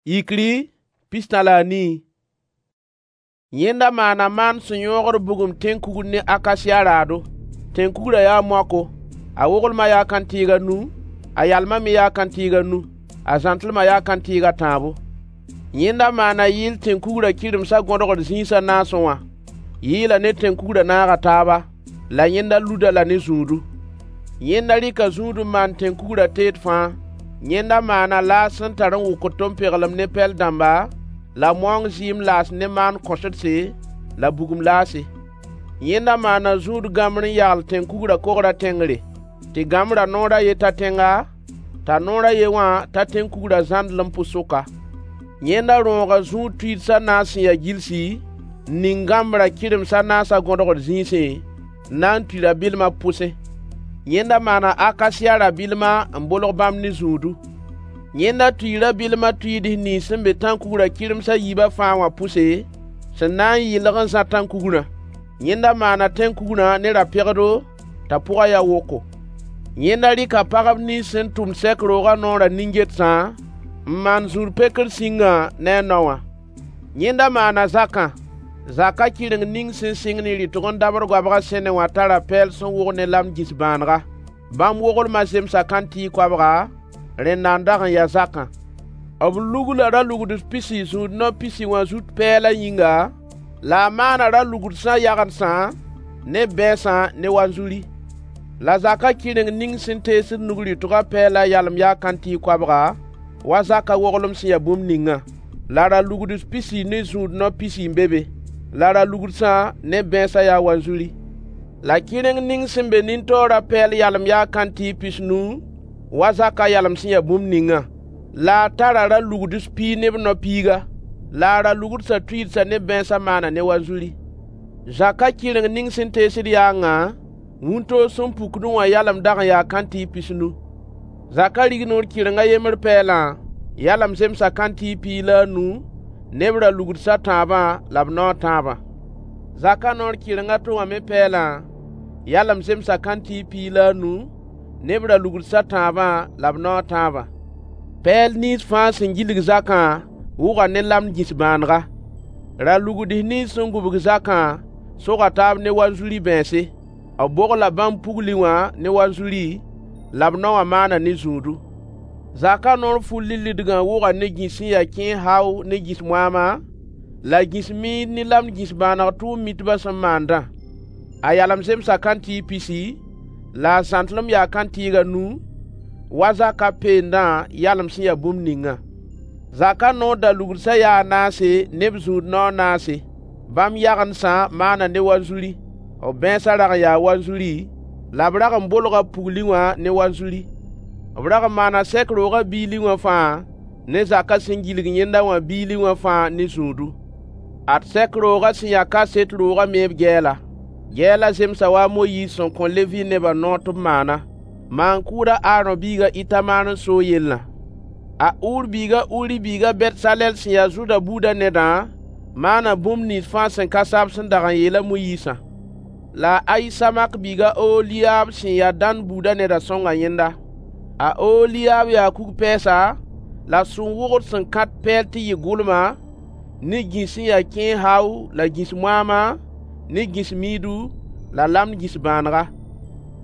Yikri 14. Yẽnda maana maan sẽn yõogd bugum tẽn-kugr ne akasiya raado. Tẽn-kugrã yaa moako. A woglmã yaa kãntɩɩg a nu, a yalmã me yaa kãntɩɩg a nu, a zãntlmã yaa kãntɩɩg a tãabo. Yẽnda maana yɩɩl tẽn-kugrã kɩremsã gõdgd zĩis a naasẽ wã. Yɩɩlã ne tẽn-kugrã naaga taaba, la yẽnda lud-a la ne zũudu. Yẽnda rɩka zũud n maan tẽn-kugrã teed fãa. Yẽnda maana laas sẽn tar n wʋkd tom-peglem ne pɛl dãmba, la maoong zɩɩm laas ne maan-kõsdse la bugum laase. Yẽnda maana zũud gãmbr n yagl tẽn-kugrã kogrã tẽngre, tɩ gãmbrã noor a yen ta tẽnga, t'a noor a ye wã ta tẽn-kugrã zãndlem pʋs-sʋka. Yẽnda rõoga zũud tuids a naas sẽn ya gilsi, n ning gãmbrã kɩrems a naasã gõdgd zĩisẽ, n na n tui rabɩllmã pʋsẽ. Yẽnda maana akasiya rabɩllmã n bolg bãmb ne zũudu. Yẽnda tuii rabɩllmã tuids nins sẽn be tãn-kugrã kɩrems a yiibã fãa wã pʋse, sẽn na n yɩlg n zã tãn-kugrã. Yẽnda maana tẽn-kugrã ne ra-pegdo t'a pʋgã ya woko. Yẽnda rɩka pagb nins sẽn tʋmd sɛk roogã noorã nin-getsã n maan zũud pekr sĩngã ne a nao wã. Yẽnda maana zakã. Zakã kɩreng ning sẽn sɩng ne rɩtg n dabd goabgã sẽne wã tara pɛɛl sẽn wog ne lamd gĩs-bãanega. Bãmb woglmã zemsa kãntɩɩg koabga, rẽnda n dag n ya zakã. B lugla ra-lugds pisi zũud nao pisi wã zut pɛɛlã yĩnga, la a maana ra-lugsã yagendsã ne bɛɛsã ne wanzuri. La zakã kɩreng ning sẽn teesd nug rɩtgã pɛɛlã yalem yaa kãntɩɩg koabga, wa zakã woglem sẽn ya bũmb ningã. La ra-lugds pisi ne zũud nao pisi n be be. La ra-lugsã ne bɛɛsã yaa wanzuri. La kɩreng ning sẽn be nin-taoorã pɛɛl yalem yaa kãntɩɩg pisnu, wa zakã yalem sẽn ya bũmb ningã. La a tara ra-lugds piig ne b nao piiga. La a ra-lugsã tuidsã ne bɛɛsã maana ne wanzuri. Zakã kɩreng ning sẽn teesd yaangã, wĩntoog sẽn pukdẽ wã yalem dag n yaa kãntɩɩg pisnu. Zakã rignoor kɩreng a yembr pɛɛlã yalem zemsa kãntɩɩg 15 ne b ra-lugs a tãabã la b nao a tãabã. Zakã noor kɩreng a to wã me pɛɛlã yalem zemsa kãntɩɩg 15 ne b ra-lugs a tãabã la b nao a tãabã. Pɛɛl nins fãa sẽn gilg zakã wʋga ne lamd gĩs-bãanega. Ra-lugds nins sẽn gũbg zakã soga taab ne wanzuri bɛɛnse. B bogla bãmb pugli wã ne wanzuri, la b nao wã maana ne zũudu. Zakã noor ful-lilidgã wʋga ne gĩs sẽn ya kẽes hao ne gĩs moaama, la gĩs miid ne lamd gĩs-bãaneg tʋʋm mitbã sẽn maandã. A yalem zemsa kãntɩɩg pisi, la a zãntlem yaa kãntɩɩg a nu, wa zakã peendã yalem sẽn ya bũmb ningã. Zakã noor da-lugsã yaa a naase ne b zũud nao a naase. Bãmb yagendsã maana ne wanzuri, b bɛɛsã rag n yaa wanzuri, la b rag n bolga pugli wã ne wanzuri. B rag n maana sɛk roogã biili wã fãa ne zakã sẽn gilg yẽnda wã biili wã fãa ne zũudu. Ad sɛk roogã sẽn ya kaset roogã me b gɛɛla. Gɛɛlã zemsa wa a Moyiis sẽn kõ Levi nebã noor tɩ b maana, maan-kʋʋd a Aarõ biig a Itamar n soog yellã. A Ur biig a Uri biig a Betsalɛl sẽn ya Zuda buudã nedã, maana bũmb nins fãa sẽn ka sa b sẽn dag n yeel a Moyiisã. La a Ayisamak biig a Ooliyab sẽn ya Dan buudã nedã sõnga yẽnda. A Ooliyab yaa kug-pɛɛsa, la sũ-wʋgd sẽn kãt pɛɛl tɩ yɩ gʋlma, ne gĩs sẽn ya kẽes hao la gĩs moaama, ne gĩs miidu, la lamd gĩs-bãanega.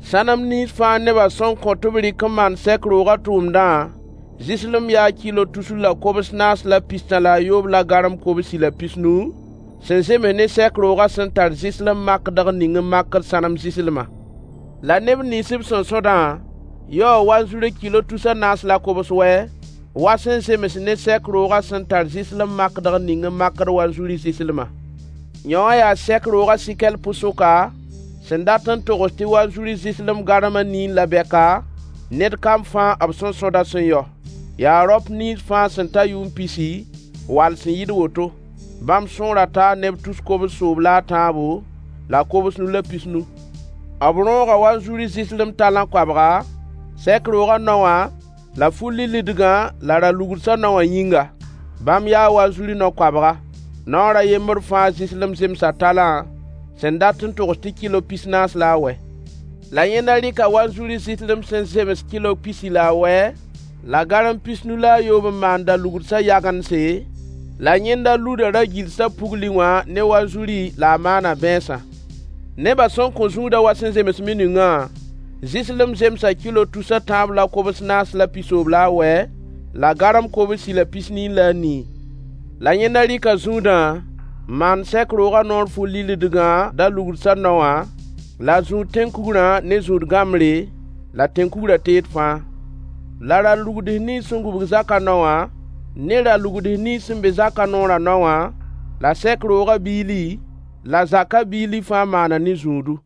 Sãnem nins fãa nebã sẽn kõ tɩ b rɩk n maan sɛk roogã tʋʋmdã, zɩslem yaa kɩlo tusr la kobs naas la pistã la a yoob la garem kobsi la pisnu, sẽn zems ne sɛk roogã sẽn tar zɩslem makdg ning n makd sãnem zɩslmã. La neb nins b sẽn sõdã yaoo wanzuri kɩlo tus a naas la kobs wɛ, wa sẽn zems ne sɛk roogã sẽn tar zɩslem makdg ning n makd wanzuri zɩslmã. Yõwã yaa sɛk roogã sɩkɛl pʋs-sʋka, sẽn dat n togs tɩ wanzuri zɩslem garem a niin la bɛka, ned kam fãa b sẽn sõdã sẽn yao. Yaa raop nins fãa sẽn ta yʋʋm pisi, wall sẽn yɩɩd woto. Bãmb sõora taa neb tus kobs-soob la a tãabo, la kobsnu la pisnu. B rõoga wanzuri zɩslem talã koabga, sɛk roogã nao wã la ful-lilidgã la ra-lugsã nao wã yĩnga. Bãmb yaa wanzuri nao koabga. Naoor a yembr fãa zɩslem zemsa talã sẽn dat n togs tɩ kɩlo pis-naas la a wɛ. La yẽnda rɩka wanzuri zɩslem sẽn zems kɩlo pisi la a wɛ, la garem pisnu la a yoob n maan da-lugdsã yagendse, la yẽnda luda ra-gilsã pugli wã ne wanzuri la a maana bãeensã. Nebã sẽn kõ zũudã wa sẽn zems miningã, zɩslem zemsa kɩlo tus a tãab la kobs naas la pisoobl la a wɛ, la garem kobsi la pisnii la a nii. La yẽnda rɩka zũudã n maan sɛk roogã noor fu-lillidgã da-lugdsã nao wã, la a zũud tẽn-kugrã ne zũud-gãmbre, la tẽn-kugrã teed fãa. La ra-lugds nins sẽn gũbg zakã nao wã, ne ra-lugds nins sẽn be zakã noorã nao wã, la sɛk roogã biili, la zakã biili fãa maana ne zũudu.